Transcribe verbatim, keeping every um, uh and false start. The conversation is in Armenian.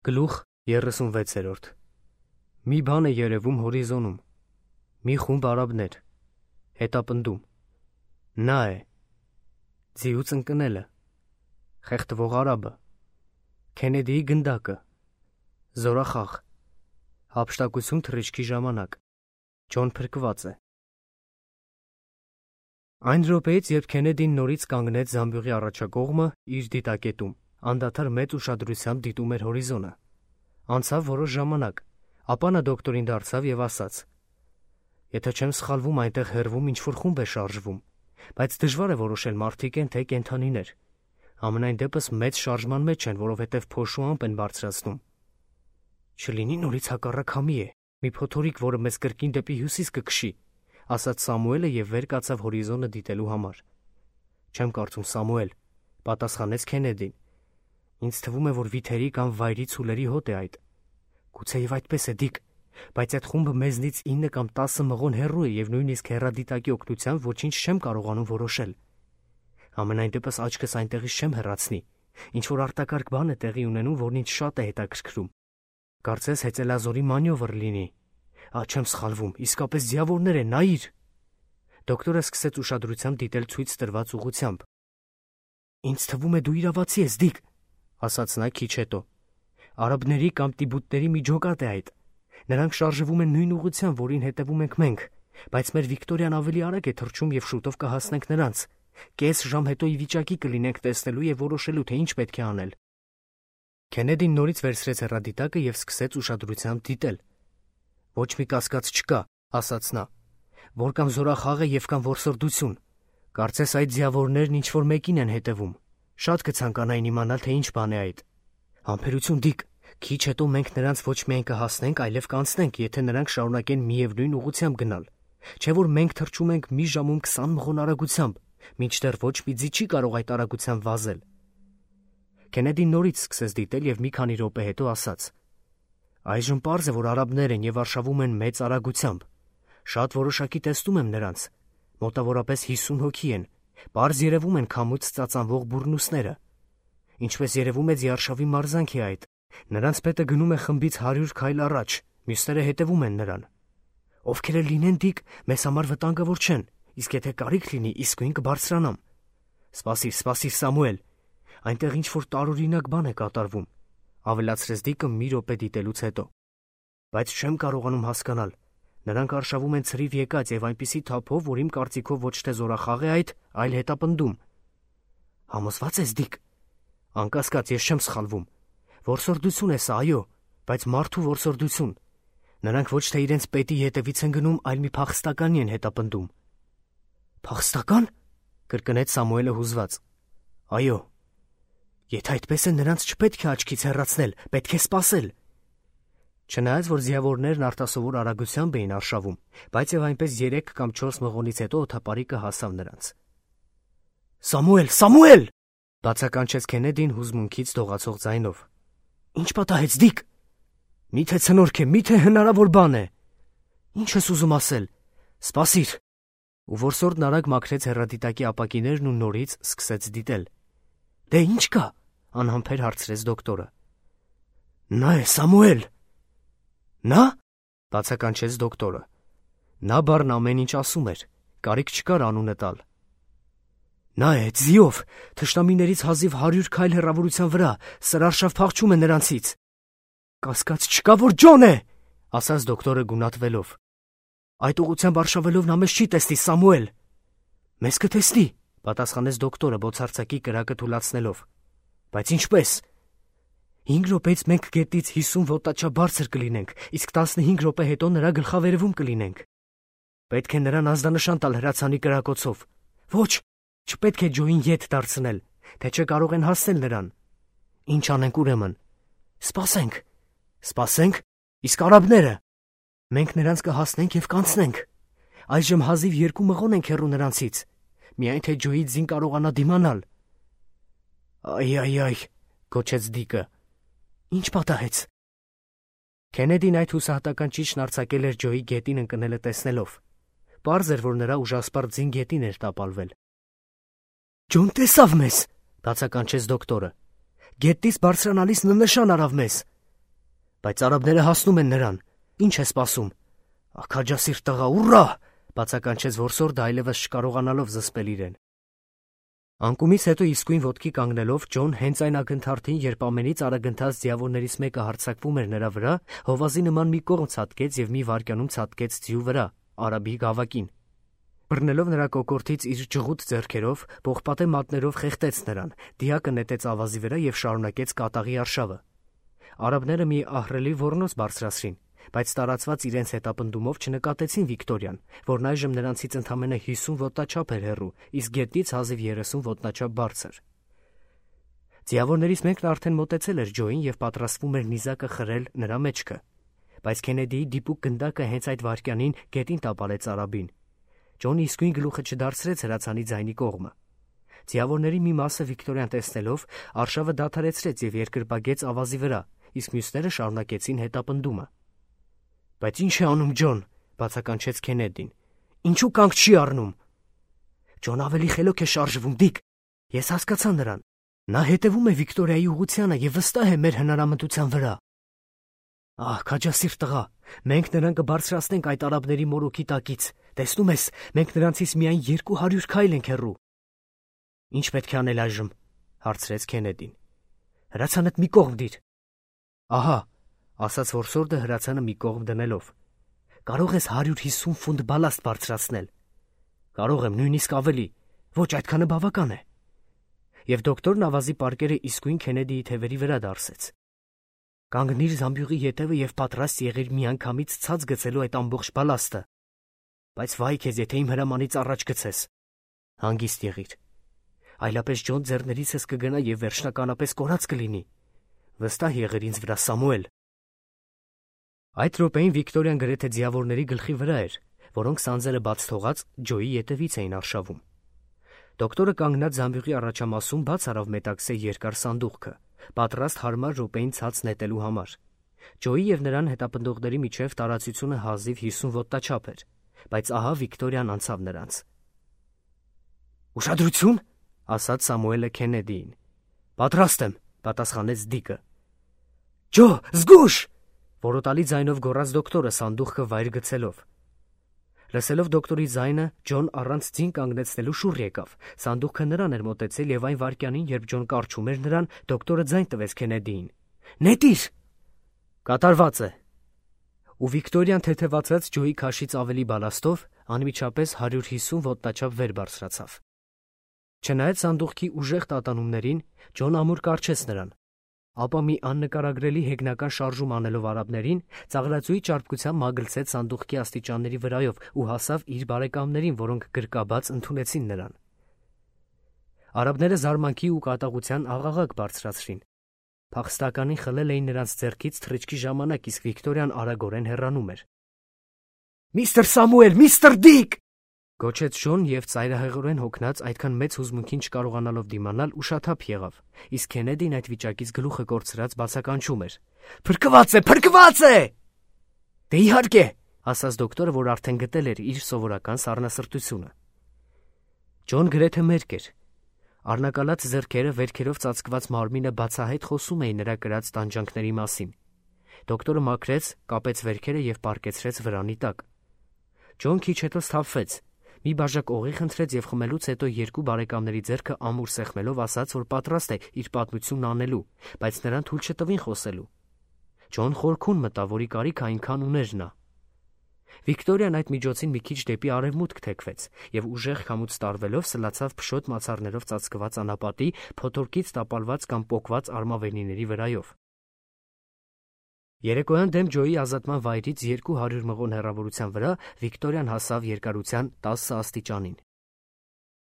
Գլուխ երեսունվեցերորդ Մի բան է երևում հորիզոնում, մի խումբ արաբներ, հետապնդում, նա է, ձիուց ընկնելը, խեղդվող արաբը, Քենեդիի գնդակը, զորախաղ, հափշտակություն թռիչքի ժամանակ, Ջոն փրկված է։ Այն րոպեից, երբ Քենեդին նորից կանգնեց զամբյուղի առաջակողմը իր դիտակետում, անդադար մեծ ուշադրությամբ դիտում էր հորիզոնը։ Անցավ որոշ ժամանակ, ապա նա դոկտորին դարձավ և ասաց. Եթե չեմ սխալվում, այնտեղ հեռվում ինչ-որ խումբ է շարժվում, բայց դժվար է որոշել մարդիկ են, թե կենդանիներ։ Համենայն դեպս մեծ շարժման մեջ են, որովհետև փոշու ամպ են բարձրացնում։ Չլինի նորից հակառակ համի է, մի փոթորիկ, որը մեզ կրկին դեպի հյուսիս կքշի, ասաց Սամուելը և վեր կացավ հորիզոնը դիտելու համար։ Չեմ կարծում, Սամուել, պատասխանեց Քենեդին։ Ինձ թվում է, որ վիթերի կամ վայրի ցուլերի հոտ է այդ։ Գուցեև այդպես է, Դիկ, բայց այդ խումբը մեզնից ինը կամ տասը մղոն հեռու է և նույնիսկ հեռադիտակի օգնությամբ ոչինչ չեմ կարողանում որոշել։ Համենայն դեպս աչքս այնտեղից չեմ հեռացնի, ինչ-որ արտակարգ բան է տեղի ունենում, որն ինձ շատ է հետաքրքրում։ Կարծես հեծելազորի մանյովր լինի։ Ա, չեմ սխալվում, իսկապես ձիավորներ են, նայիր։ Դոկտորը սկսեց ուշադրությամբ դիտել ցույց տրված ուղղությամբ։ Ինձ թվում է դու իրավացի ես, Դիկ, ասաց նա քիչ հետո։ Արաբների կամ տիբուտների մի ջոկատ է այդ։ Նրանք շարժվում են նույն ուղղությամբ, որին հետևում ենք մենք, բայց մեր Վիկտորիան ավելի արագ է թռչում և շուտով կհասնենք նրանց։ Կես ժամ հետո ի վիճակի կլինենք տեսնելու և որոշելու, թե ինչ պետք է անել։ Քենեդին նորից վերցրեց հեռադիտակը և սկսեց ուշադրությամբ դիտել։ Ոչ մի կասկած չկա, ասաց նա, որ կամ զորախաղ է և կամ որսորդություն։ Կարծես այդ ձիավորներն ինչ-որ մեկին են հետևում։ Շատ կցանկանային իմանալ, թե ինչ բան է այդ։ Համբերություն, Դիկ, քիչ հետո մենք նրանց ոչ միայն կհասնենք, այլև կանցնենք, եթե նրանք շարունակեն միևնույն ուղղությամբ գնալ։ Չէ՞ որ մենք թռչում ենք մի ժամում քսան մղոն արագությամբ, մինչդեռ ոչ մի ձի չի կարող այդ արագությամբ վազել։ Քենեդին նորից սկսեց դիտել և մի քանի րոպե հետո ասաց. Այժմ պարզ է, որ արաբներ են և արշավում են մեծ արագությամբ։ Շատ որոշակի տեսնում եմ նրանց։ Մոտավորապես հիսուն հոգի են։ Պարզ երևում են քամուց ծածանվող բուռնուսները։ Ինչպես երևում է, ձիարշավի մարզանք է այդ։ Նրանց պետը գնում է խմբից հարյուր քայլ առաջ, մյուսները հետևում են նրան։ Ովքեր էլ լինեն, Դիկ, մեզ համար վտանգավոր չեն, իսկ եթե կարիք լինի, իսկույն կբարձրանամ։ Սպասիր, սպասիր, Սամուել, այնտեղ ինչ-որ տարօրինակ բան է կատարվում, ավելացրեց Դիկը մի րոպե դիտելուց հետո։ Բայց չեմ կարողանում հասկանալ։ Նրանք արշավում են ցրիվ եկած և այնպիսի թափով, որ իմ կարծիքով ոչ թե զորախաղ է այդ, այլ հետապնդում։ Համոզվա՞ծ ես, Դիկ։ Անկասկած, ես չեմ սխալվում։ Որսորդություն է սա, այո, բայց մարդու որսորդություն։ Նրանք ոչ թե իրենց պետի հետևից են գնում, այլ մի փախստականի են հետապնդում։ Փախստական? Կրկնեց Սամուելը հուզված։ Այո։ Եթե այդպես է, նրանց չպետք է աչքից հեռացնել, պետք է սպասել։ Չնայած, որ ձիավորներն արտասովոր արագությամբ էին արշավում, բայց և այնպես երեք կամ չորս մղոնից հետո օդապարիկը հասավ նրանց։ Սամուել, Սամուել! Բացականչեց Քենեդին հուզմունքից դողացող ձայնով։ Ինչ պատահեց, Դիկ։ Միթե ցնորք է, միթե հնարավոր բան է։ Ինչ ես ուզում ասել։ Սպասիր։ Ու որսորդն արագ մաքրեց հեռադիտակի ապակիներն ու նորից սկսեց դիտել։ Դե ինչ կա, անհամբեր հարցրեց դոկտորը։ Նա է, Սամուել։ Նա? Բացականչեց դոկտորը։ Նա բառն ամեն ինչ ասում էր, կարիք չկար անունը տալ։ Նա է, ձիով, թշնամիներից հազիվ հարյուր քայլ հեռավորության վրա, սրարշավ փախչում է նրանցից։ Կասկած չկա, որ Ջոն է, ասաց դոկտորը գունատվելով։ Այդ ուղղությամբ արշավելով նա մեզ չի տեսնի, Սամուել։ Մեզ կտեսնի, պատասխանեց դոկտորը բոցարցակի կրակը թուլացնելով։ Բայց ինչպես։ Հինգ րոպեից մենք գետից հիսուն ոտնաչափ բարձր կլինենք, իսկ տասնհինգ րոպե հետո նրա գլխավերևում կլինենք։ Պետք է նրան ազդանշան տալ հրացանի կրակոցով։ Ոչ, չպետք է Ջոյին ետ դարձնել, թե չէ կարող են հասնել նրան։ Ինչ անենք ուրեմն։ Սպասենք։ Սպասենք։ Իսկ արաբները։ Մենք նրանց կհասնենք և կանցնենք։ Այժմ հազիվ երկու մղոն ենք հեռու նրանցից։ Միայն թե Ջոյի ձին կարողանա դիմանալ։ Այ, այ, այ, գոչեց Դիկը։ Ինչ պատահեց։ Քենեդին այդ հուսահատական ճիչն արձակել էր Ջոյի գետին ընկնելը տեսնելով։ Պարզ էր, որ նրա ուժասպառ ձին գետին էր տապալվել։ Ջոն տեսավ մեզ, բացականչեց դոկտորը։ Գետից բարձրանալիս նա նշան արավ մեզ։ Բայց արաբները հասնում են նրան, ինչ է սպասում։ Աքաջասիրտ տղա, ուռա, բացականչեց որսորդը այլևս չկարողանալով զսպել իրեն։ Անկումից հետո իսկույն ոտքի կանգնելով Ջոն հենց այն ակնթարթին, երբ ամենից արագընթաց ձիավորներից մեկը հարձակվում էր նրա վրա, հովազի նման մի կողմ ցատկեց եւ մի վայրկյանում ցատկեց ձիու վրա, արաբի գավակին։ Բռնելով նրա կոկորդից իր ջղուտ ձեռքերով, պողպատե մատներով խեղդեց նրան, դիակը նետեց ավազի վրա եւ շարունակեց կատաղի արշավը։ Արաբները մի ահռելի ոռնոց բարձրացրին, բայց տարածված իրենց հետապնդումով չնկատեցին Վիկտորիան, որն այժմ նրանցից ընդամենը հիսուն ոտնաչափ էր հեռու, իսկ գետնից հազիվ երեսուն ոտնաչափ բարձր։ Ձիավորներից մեկն արդեն մոտեցել էր Ջոյին եւ պատրաստվում էր նիզակը խրել նրա մեջքը, բայց Քենեդիի դիպուկ գնդակը հենց այդ վայրկյանին գետին տապալեց արաբին։ Ջոնը իսկույն գլուխը չդարձրեց հրացանի ձայնի կողմը։ Ձիավորների մի մասը Վիկտորիան տեսնելով արշավը դադարեցրեց եւ երկրպագեց ավազի վրա, իսկ մյուսները շարունակեցին հետապնդումը։ Բայց ինչ է անում Ջոն, բացականչեց Քենեդին։ Ինչու կանգ չի առնում։ Ջոն ավելի խելոք է շարժվում, Դիկ։ Ես հասկացա նրան։ Նա հետևում է Վիկտորիայի ուղղությանը եւ վստահ է մեր հնարամտության վրա։ Ահ, քաջասիրտ տղա, մենք նրան կբարձրացնենք այդ արաբների մորոքի տակից։ Տեսնում ես, մենք նրանցից միայն երկու հարյուր քայլ ենք հեռու։ Ինչ պետք է անել այժմ, հարցրեց Քենեդին։ Հրացանդ մի կողմ դիր։ Ահա, ասաց որսորդը հրացանը մի կողմ դնելով։ Կարող ես հարյուր հիսուն ֆունտ բալաստ բարձրացնել։ Կարող եմ, նույնիսկ ավելի։ Ոչ, այդքանը բավական է։ Եվ դոկտորն ավազի պարկերը իսկույն Քենեդիի թևերի վրա դարսեց։ Կանգնիր զամբյուղի ետևը եւ պատրաստ եղիր միանգամից ցած գցելու այդ ամբողջ բալաստը։ Բայց վայ քեզ, եթե իմ հրամանից առաջ գցես։ Հանգիստ եղիր։ Այլապես Ջոն ձեռներիցս կգնա եւ վերջնականապես կորած կլինի։ Վստահ եղիր ինձ վրա, Սամուել։ Այդ րոպեին Վիկտորիան գրեթե ձիավորների գլխի վրա էր, որոնք սանձերը բաց թողած Ջոյի ետևից էին արշավում։ Դոկտորը կանգնած զամբյուղի առաջամասում բաց արավ մետաքսե երկար սանդուղքը, պատրաստ հարմար րոպեին ցած նետելու համար։ Ջոյի եւ նրան հետապնդողների միջև տարածությունը հազիվ հիսուն ոտնաչափ էր, բայց ահա Վիկտորիան անցավ նրանց։ Ուշադրություն, ասաց Սամուելը Քենեդիին։ Պատրաստ եմ, պատասխանեց Դիկը։ Ջո, զգուշ, որոտալի ձայնով գոռաց դոկտորը սանդուղքը վայր գցելով։ Լսելով դոկտորի ձայնը, Ջոն առանց ձին կանգնեցնելու շուռ եկավ։ Սանդուղքը նրան էր մոտեցել եւ այն վայրկյանին, երբ Ջոն կարչում էր նրան, դոկտորը ձայն տվեց Քենեդիին։ Նետիր։ Կատարված է։ Ու Վիկտորիան թեթևացած Ջոյի քաշից ավելի բալաստով անմիջապես հարյուր հիսուն ոտնաչափ վեր բարձրացավ։ Չնայած սանդուղքի ուժեղ տատանումներին, Ջոն ամուր կարչեց նրան, ապա մի աննկարագրելի հեգնական շարժում անելով արաբներին, ծաղրածուի ճարպկությամբ մագլցեց սանդուղքի աստիճանների վրայով ու հասավ իր բարեկամներին, որոնք գրկաբաց ընդունեցին նրան։ Արաբները զարմանքի ու կատաղության աղաղակ բարձրացրին։ Փախստականին խլել էին նրանց ձեռքից թռիչքի ժամանակ, իսկ Վիկտորիան արագորեն հեռանում էր։ Միստր Սամուել, միստր Դիկ, գոչեց Ջոն եւ ծայրահեղորեն հոգնած, այդքան մեծ հուզմունքին չկարողանալով դիմանալ, ուշաթափ եղավ, իսկ Քենեդին այդ վիճակից գլուխը կորցրած բացականչում էր. Փրկված է, փրկված է։ Դե իհարկե, ասաց դոկտորը, որ արդեն գտել էր իր սովորական սառնասրտությունը։ Ջոն գրեթե մերկ էր։ Առնակալած ձեռքերը, վերքերով ծածկված մարմինը բացահայտ խոսում էին նրա կրած տանջանքների մասին։ Դոկտորը մաքրեց, կապեց վերքերը եւ պառկեցրեց վրանի տակ։ Ջոն քիչ հետո սթափվեց, մի բաժակ օղի խնդրեց եւ խմելուց հետո երկու բարեկամների ձեռքը ամուր սեղմելով ասաց, որ պատրաստ է իր պատմությունն անելու, բայց նրան թույլ չտվին խոսելու։ Ջոն խորքուն մտավ, որի կարիք այնքան ուներ նա։ Վիկտորիան այդ միջոցին մի քիչ դեպի արևմուտք թեքվեց եւ ուժեղ քամուց տարվելով սլացավ փշոտ մացառներով ծածկված անապատի, փոթորկից տապալված կամ պոկված արմավենիների վրայով։ Երեկոյան դեմ Ջոյի ազատման վայրից երկու հարյուր մղոն հեռավորության վրա Վիկտորիան հասավ երկարության տասը աստիճանին։